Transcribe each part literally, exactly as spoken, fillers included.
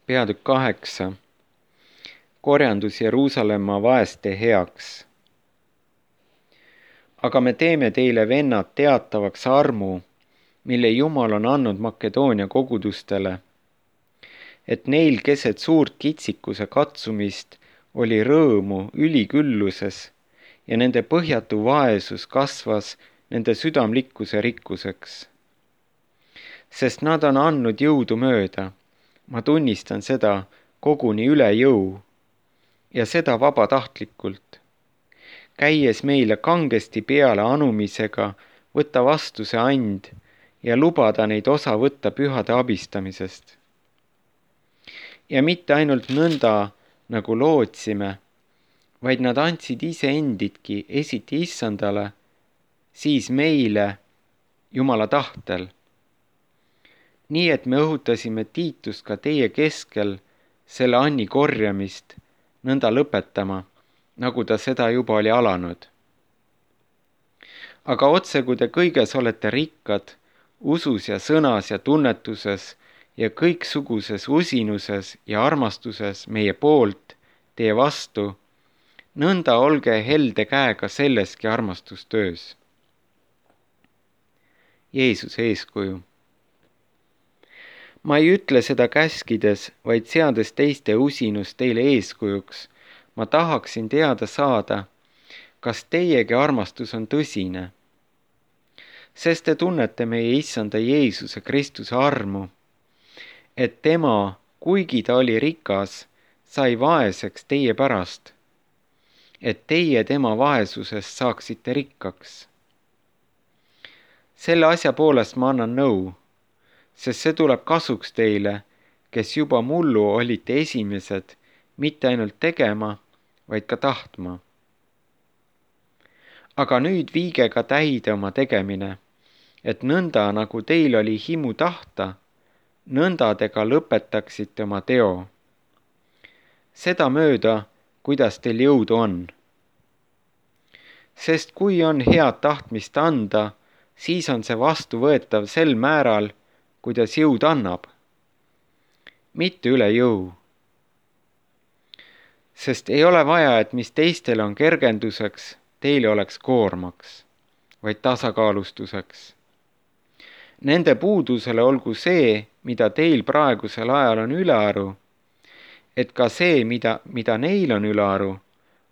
Peatükk kaheksa. Korjandus Jeruusalemma vaeste heaks. Aga me teeme teile, vennad, teatavaks armu, mille Jumal on andnud Makedoonia kogudustele, et neil keset suurt kitsikuse katsumist oli rõõmu ülikülluses ja nende põhjatu vaesus kasvas nende südamlikkuse rikkuseks. Sest nad on andnud jõudu mööda, ma tunnistan seda koguni üle jõu, ja seda vabatahtlikult, käies meile kangesti peale anumisega võtta vastu see and ja lubada neid osa võtta pühade abistamisest. Ja mitte ainult nõnda, nagu lootsime, vaid nad andsid iseendidki esiti issandale, siis meile Jumala tahtel. Nii et me õhutasime Tiitust ka teie keskel selle anni korjamist nõnda lõpetama, nagu ta seda juba oli alanud. Aga otse, kui te kõiges olete rikkad, usus ja sõnas ja tunnetuses ja kõiksuguses usinuses ja armastuses meie poolt, teie vastu, nõnda olge helde käega selleski armastustöös. Jeesuse eeskuju. Ma ei ütle seda käskides, vaid seades teiste usinust teile eeskujuks. Ma tahaksin teada saada, kas teiegi armastus on tõsine. Sest te tunnete meie issanda Jeesuse Kristuse armu, et tema, kuigi ta oli rikas, sai vaeseks teie pärast, et teie tema vaesusest saaksite rikkaks. Selle asja poolest ma annan nõu, sest see tuleb kasuks teile, kes juba mullu olite esimesed, mitte ainult tegema, vaid ka tahtma. Aga nüüd viige ka täide oma tegemine, et nõnda, nagu teil oli himu tahta, nõnda te ka lõpetaksite oma teo. Seda mööda, kuidas teil jõudu on. Sest kui on head tahtmist anda, siis on see vastuvõetav sel määral, kuidas jõud annab, mitte üle jõu. Sest ei ole vaja, et mis teistele on kergenduseks, teile oleks koormaks, vaid tasakaalustuseks. Nende puudusele olgu see, mida teil praegusel ajal on ülearu, et ka see, mida, mida neil on ülearu,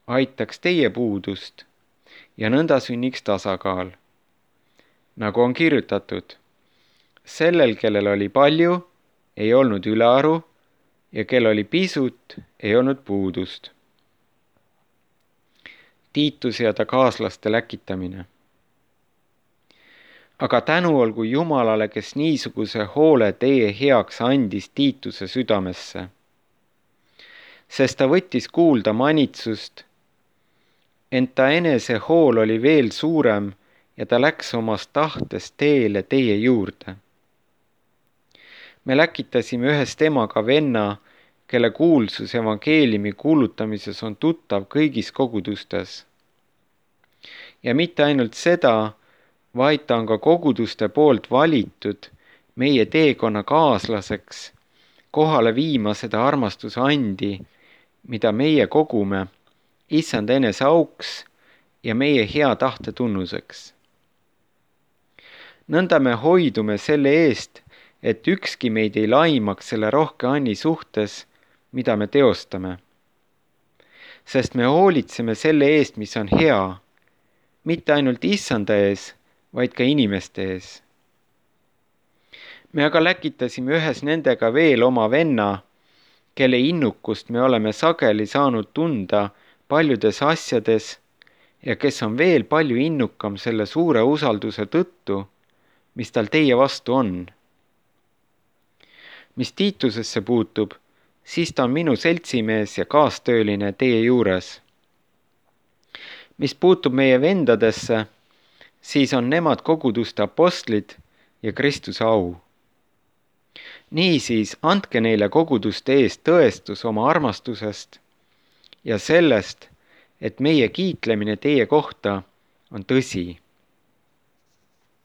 aitaks teie puudust ja nõnda sünniks tasakaal. Nagu on kirjutatud, sellel, kellel oli palju, ei olnud ülearu ja kel oli pisut, ei olnud puudust. Tiituse ja ta kaaslaste läkitamine. Aga tänu olgu Jumalale, kes niisuguse hoole teie heaks andis Tiituse südamesse. Sest ta võttis kuulda manitsust, ent ta enese hool oli veel suurem ja ta läks omast tahtest teele teie juurde. Me läkitasime ühest temaga venna, kelle kuulsus evangeeliumi kuulutamises on tuttav kõigis kogudustes. Ja mitte ainult seda, vaid ta on ka koguduste poolt valitud meie teekonna kaaslaseks, kohale viima seda armastuse andi, mida meie kogume, issand enese auks ja meie hea tahte tunnuseks. Nõnda me hoidume selle eest, et ükski meid ei laimaks selle rohke anni suhtes, mida me teostame. Sest me hoolitseme selle eest, mis on hea, mitte ainult issanda ees, vaid ka inimeste ees. Me aga läkitasime ühes nendega veel oma venna, kelle innukust me oleme sageli saanud tunda paljudes asjades ja kes on veel palju innukam selle suure usalduse tõttu, mis tal teie vastu on. Mis Tiitusesse puutub, siis ta on minu seltsimees ja kaastööline teie juures. Mis puutub meie vendadesse, siis on nemad koguduste apostlid ja Kristuse au. Niisiis andke neile koguduste eest tõestus oma armastusest ja sellest, et meie kiitlemine teie kohta on tõsi.